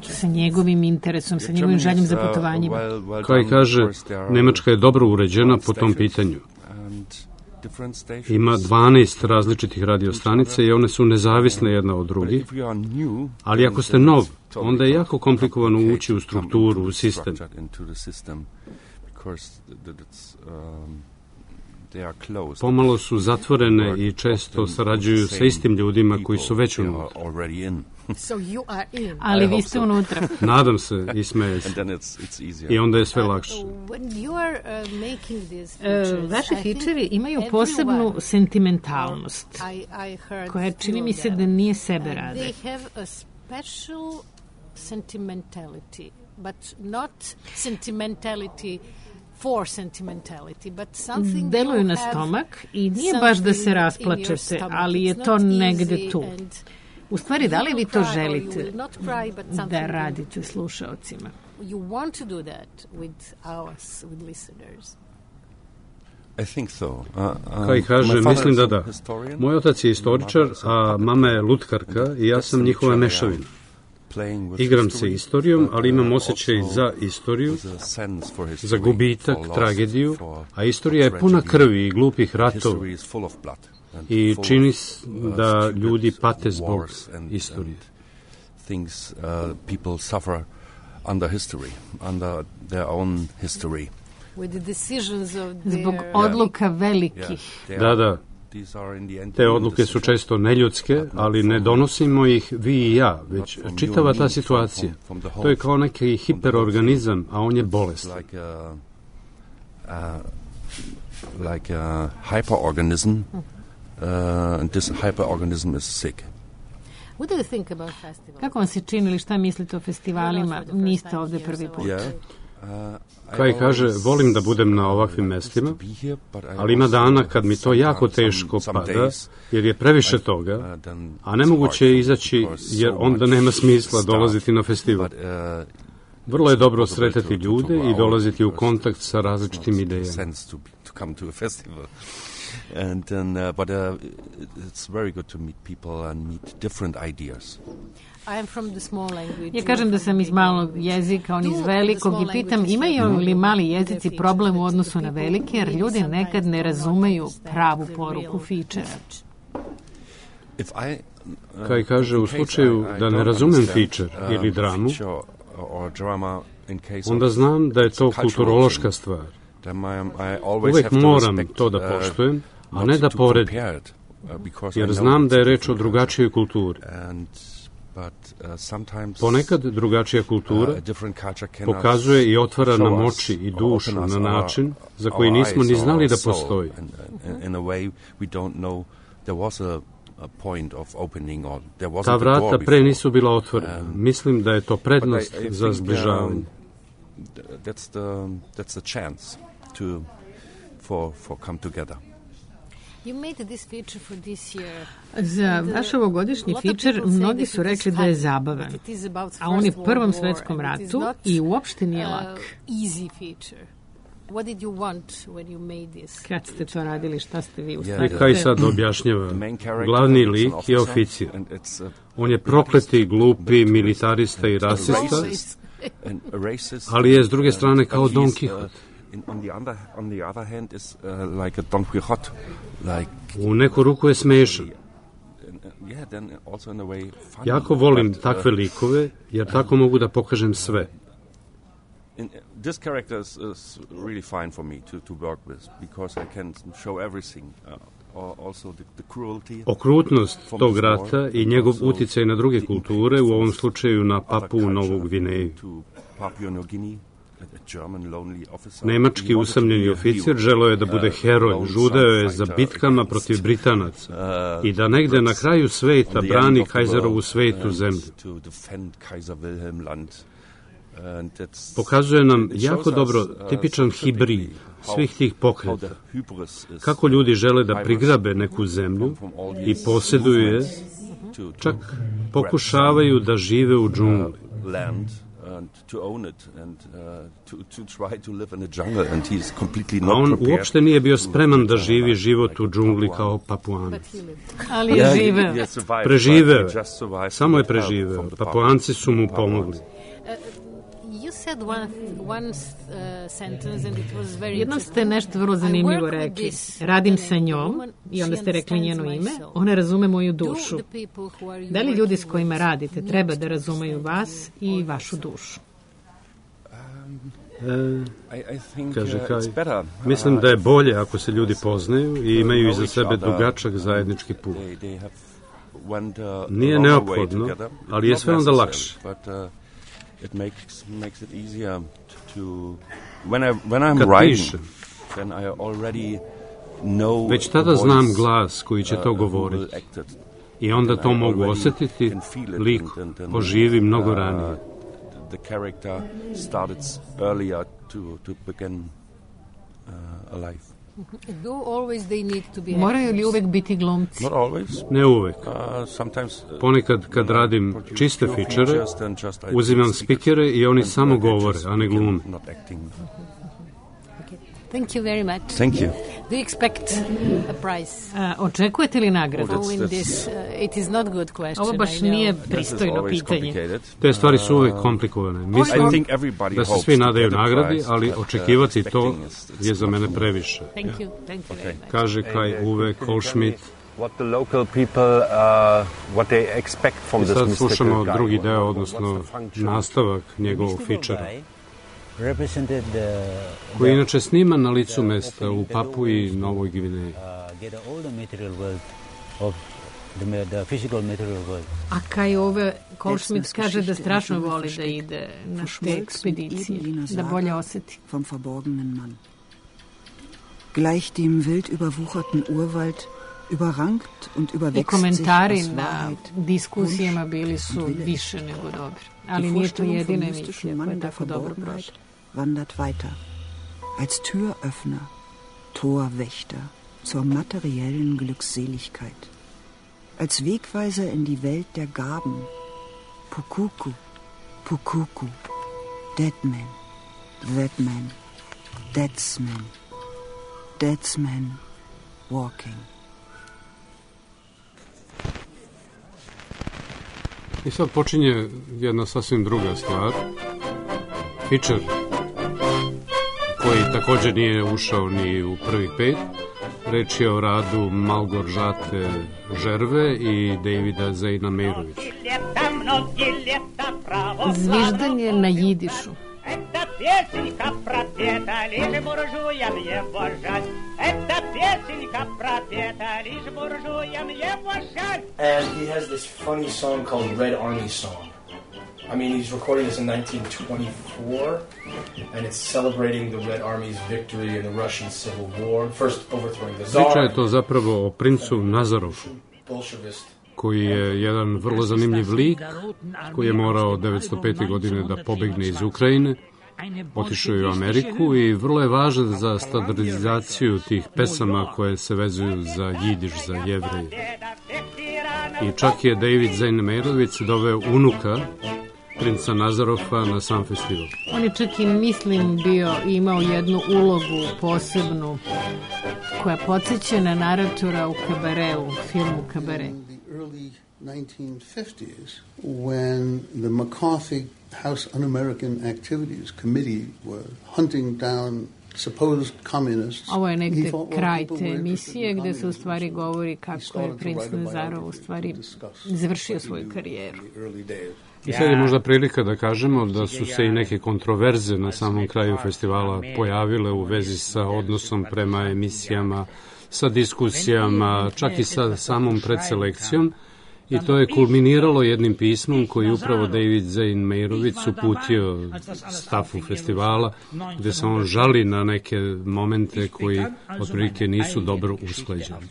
Sa njegovim interesom, sa njegovim željem za putovanjima. Kaj kaže, Nemačka je dobro uređena po tom pitanju. Ima dvanaest različitih radiostanica i one su nezavisne jedna od drugih, ali ako ste nov, onda je jako komplikovano ući u strukturu, u sistem. Pomalo su zatvorene i često sarađuju sa istim ljudima koji su već unutra. Ali vi ste unutra. Nadam se i smeje se. I onda je sve lakše. Vaši fičeri imaju posebnu sentimentalnost, koja čini mi se da nije sebe rade. But not sentimentality for sentimentality, but something deluju na stomak i nije baš da se rasplačete, ali je to negde tu. U stvari, da li vi to želite da radite slušaocima? You want to do that with us, with listeners. I think so. Uh, uh, Kaj kaže, mislim da da. Moj otac je istoričar, a mama je lutkarka i ja sam njihova mešavina. Igram se istorijom, ali imam osjećaj za istoriju, za gubitak, tragediju, a istorija je puna krvi i glupih ratova i čini da ljudi pate zbog istorije. Zbog odluka velikih. Da, da. Te odluke su često neljudske, ali ne donosimo ih vi i ja, već čitava ta situacija. To je kao neki hiperorganizam, a on je bolestan. Like a hyperorganism, and this hyperorganism is sick. Kako vam se činili, šta mislite o festivalima? Niste ovde prvi put. Kaj kaže, volim da budem na ovakvim mestima, ali ima dana kad mi to jako teško pada, jer je previše toga, a nemoguće je izaći, jer onda nema smisla dolaziti na festival. Vrlo je dobro sretati ljude i dolaziti u kontakt sa različitim idejama. And then, uh, but uh, it's very good to meet people and meet different ideas. Ja kažem da sam iz malog jezika, on iz velikog i pitam imaju li mali jezici problem u odnosu na velike, jer ljudi nekad ne razumeju pravu poruku fičera. Kaj kaže, u slučaju da ne razumem fičer ili dramu, onda znam da je to kulturološka stvar. Uvek moram to da poštujem, a ne da poredim, jer znam da je reč o drugačijoj kulturi. Ponekad drugačija kultura pokazuje i otvara nam oči i dušu na način za koji nismo ni znali da postoji. Ta vrata pre nisu bila otvorena. Mislim da je to prednost za zbližavanje. To for for come together. You made this feature for this year. Za vaš ovogodišnji feature mnogi su rekli da je zabavan, a on je u Prvom svetskom ratu i uopšte nije lak. Easy feature. What did you want when you made this? Kad ste to radili, šta ste vi ustavili? Yeah, kaj sad objašnjava? Glavni lik je oficir. On je prokleti, glupi, militarista i rasista, ali je s druge strane kao Don Quixote. In, on, the other, on the other hand is uh, like a Don Quixote. Like u neku ruku je smešan. Jako volim takve likove, jer tako mogu da pokažem sve. This character is, is really fine for me to, to work with, because I can show everything. Uh, also the, the cruelty. Okrutnost tog rata i njegov uticaj na druge kulture, u ovom slučaju na Papuu Novu Gvineju. Nemački usamljeni oficir želeo je da bude heroj, žudeo je za bitkama protiv Britanaca i da negde na kraju sveta brani Kajzerovu svetu zemlju. Pokazuje nam jako dobro tipičan hibrid svih tih pokreta. Kako ljudi žele da prigrabe neku zemlju i posjeduju je, čak pokušavaju da žive u džungli. A on uopšte nije bio spreman da živi život u džungli kao Papuanac. Ali je živeo. Preživeo. Samo je preživeo. Papuanci su mu pomogli. Jednom ste nešto vrlo zanimljivo rekli. Radim sa njom, i onda ste rekli njeno ime, ona razume moju dušu. Da li ljudi s kojima radite treba da razumeju vas i vašu dušu? E, kaže Kaj, mislim da je bolje ako se ljudi poznaju i imaju iza sebe dugačak zajednički put. Nije neophodno, ali je sve onda lakše. It makes makes it easier to when I when I'm writing, then I already know. Već tada znam glas koji će to govoriti. I onda to mogu osjetiti, lik oživi mnogo ranije. The character started earlier to to begin alive. Moraju li uvek biti glumci? Ne uvek. Ponekad kad radim čiste fičere, uzimam spikere i oni samo govore, a ne glume. Thank you very much. Thank you. Do you expect a prize? Uh, očekujete li nagradu? Oh, that's, that's, uh, it is not good question. Ovo baš nije pristojno pitanje. Te stvari su uvek komplikovane. Mislim da se svi nadaju nagradi, ali očekivati to je za mene previše. Thank you. Thank you very much. Kaže Kaj Uwe Kohlschmidt. What the local people, uh, what they expect from this mystical guy. Sad slušamo drugi deo, odnosno nastavak njegovog fičera, koji je inače sniman na licu mesta u Papui i Novoj Gvineji. A Kaj Uwe Kohlschmidt kaže da strašno voli da ide na te ekspedicije, da bolje osjeti. Gleich dem wild überwucherten Urwald überrankt und überwächst I komentari na diskusijama bili su više nego dobri. Ali nije to jedina emisija koja je tako dobro prošla. Wandert weiter. Als Türöffner, Torwächter zur materiellen Glückseligkeit. Als Wegweiser in die Welt der Gaben. Pukuku, Pukuku, Deadman, Thatman, Deadsman, Deadsman, Walking. I sad počinje jedna sasvim druga stvar. Fičer, koji također nije ušao ni u prvih pet. Reč je o radu Malgoržate Žerve i Davida Zejna Mejrovića. Zviždanje na jidišu. Это песенка про Пета, лишь буржуям его жаль. Это песенка про Пета, лишь буржуям его жаль. And he has this funny song called Red Army Song. I mean, he's recording this in nineteen twenty-four, and it's celebrating the Red Army's victory in the Russian Civil War, first overthrowing the Tsar. Priča je to zapravo o princu Nazarovu, koji je jedan vrlo zanimljiv lik, koji je morao devetsto pete. godine da pobegne iz Ukrajine, otišao je u Ameriku i vrlo je važan za standardizaciju tih pesama koje se vezuju za jidiš, za Jevreje. I čak je David Zejn Mejrović doveo unuka princa Nazarova na sam festival. On je čak i, mislim, bio imao jednu ulogu posebnu koja podsjeća na naratora u Kabareu, filmu Kabare. nineteen fifties, when the McCarthy House Un-American Activities Committee were hunting down supposed communists. Ovo je negde kraj te emisije gde se u stvari govori kako je princ Nazarov u stvari završio svoju karijeru. I sad je možda prilika da kažemo da su se i neke kontroverze na samom kraju festivala pojavile u vezi sa odnosom prema emisijama, sa diskusijama, čak i sa samom predselekcijom. I to je kulminiralo jednim pismom koji je upravo David Zane Meyrovic uputio stafu festivala, gde se on žali na neke momente koji otprilike nisu dobro usklađeni.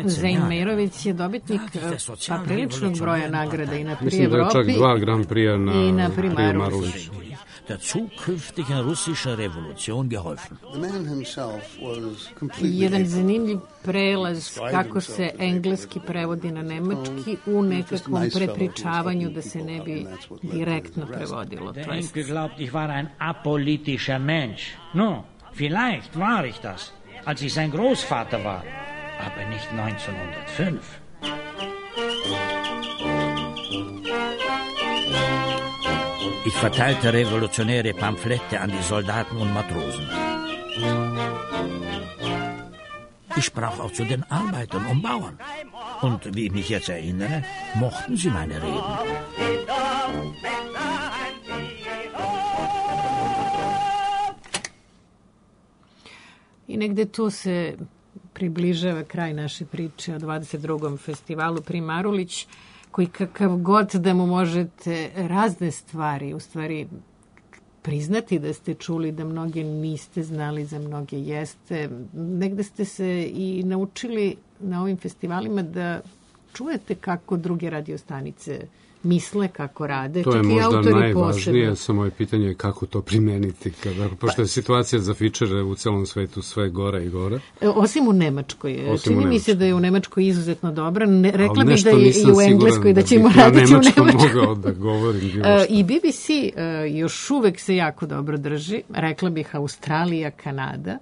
Zane Meyrovic je dobitnik pa priličnog broja nagrada i na pri Mislim da je čak dva Grand Prix na, i na pri Maruliću. Der zukünftigen russischen Revolution geholfen. Jedan zanimljiv prelaz kako se engleski prevodi na nemački u nekakvom prepričavanju da se ne bi direktno prevodilo. Der Enkel glaubt, ich war ein apolitischer Mensch. No, vielleicht war ich das, als ich sein Großvater war, aber nicht neunzehnhundertfünf. Ich verteilte revolutionäre Pamphlette an die Soldaten und Matrosen. Ich sprach auch zu den Arbeitern und Bauern. Und wie ich mich jetzt erinnere, mochten sie meine Reden. I negde tu se približava kraj naše priče o dvadeset drugom festivalu Pri Marulić, koji kakav god da mu možete razne stvari, u stvari priznati da ste čuli, da mnoge niste znali, za mnoge jeste. Negde ste se i naučili na ovim festivalima da čujete kako druge radiostanice misle, kako rade. To je možda najvažnije, samo je pitanje kako to primeniti, kada, pošto je situacija za fičere u celom svetu sve gore i gore. Osim u Nemačkoj. Osim Čini u mi se da je u Nemačkoj izuzetno dobra. Ne, rekla bih da je i u Engleskoj da, da ćemo raditi u Nemačkoj. Mogao da govorim. I B B C još uvek se jako dobro drži. Rekla bih Australija, Kanada.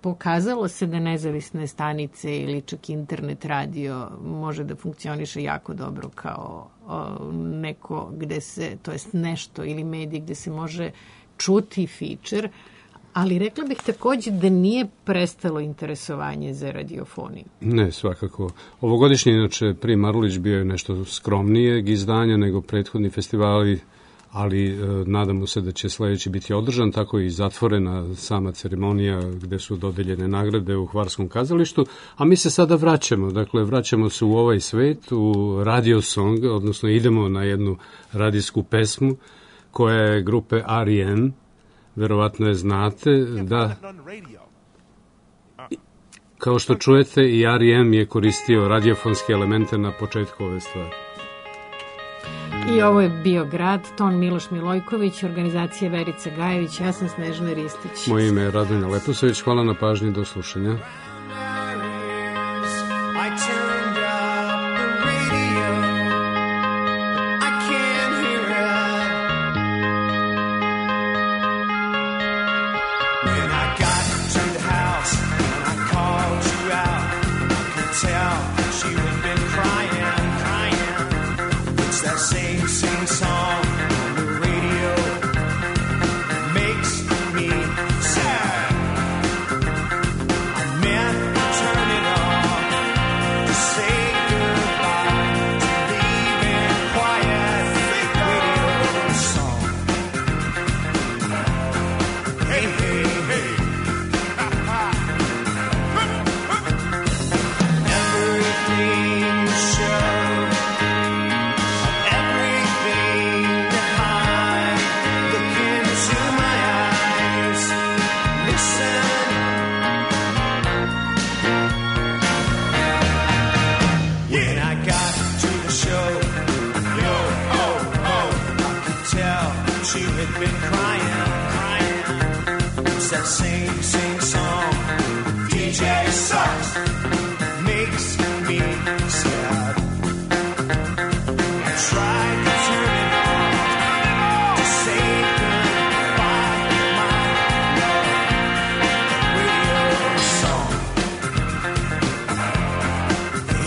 Pokazalo se da nezavisne stanice ili čak internet radio može da funkcioniše jako dobro kao o, neko gde se, to jest nešto ili medij gde se može čuti feature, ali rekla bih takođe da nije prestalo interesovanje za radiofoniju. Ne, svakako. Ovogodišnji, inače, Pri Marulić bio je nešto skromnijeg izdanja nego prethodni festivali, ali e, nadamo se da će sledeći biti održan, tako i zatvorena sama ceremonija gde su dodeljene nagrade u Hvarskom kazalištu, a mi se sada vraćamo, dakle vraćamo se u ovaj svet, u radio song, odnosno idemo na jednu radijsku pesmu koja je grupe R E M, verovatno je znate, da kao što čujete i R E M je koristio radiofonske elemente na početku ove stvari. I ovo je bio Grad, ton Miloš Milojković, organizacija Verica Gajević, ja sam Snežana Ristić. Moje ime je Radonja Leposović, hvala na pažnji, do slušanja.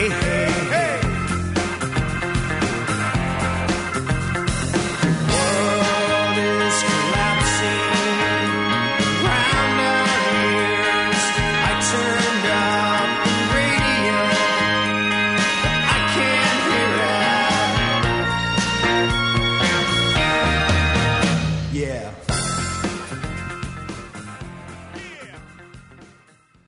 Hey, hey.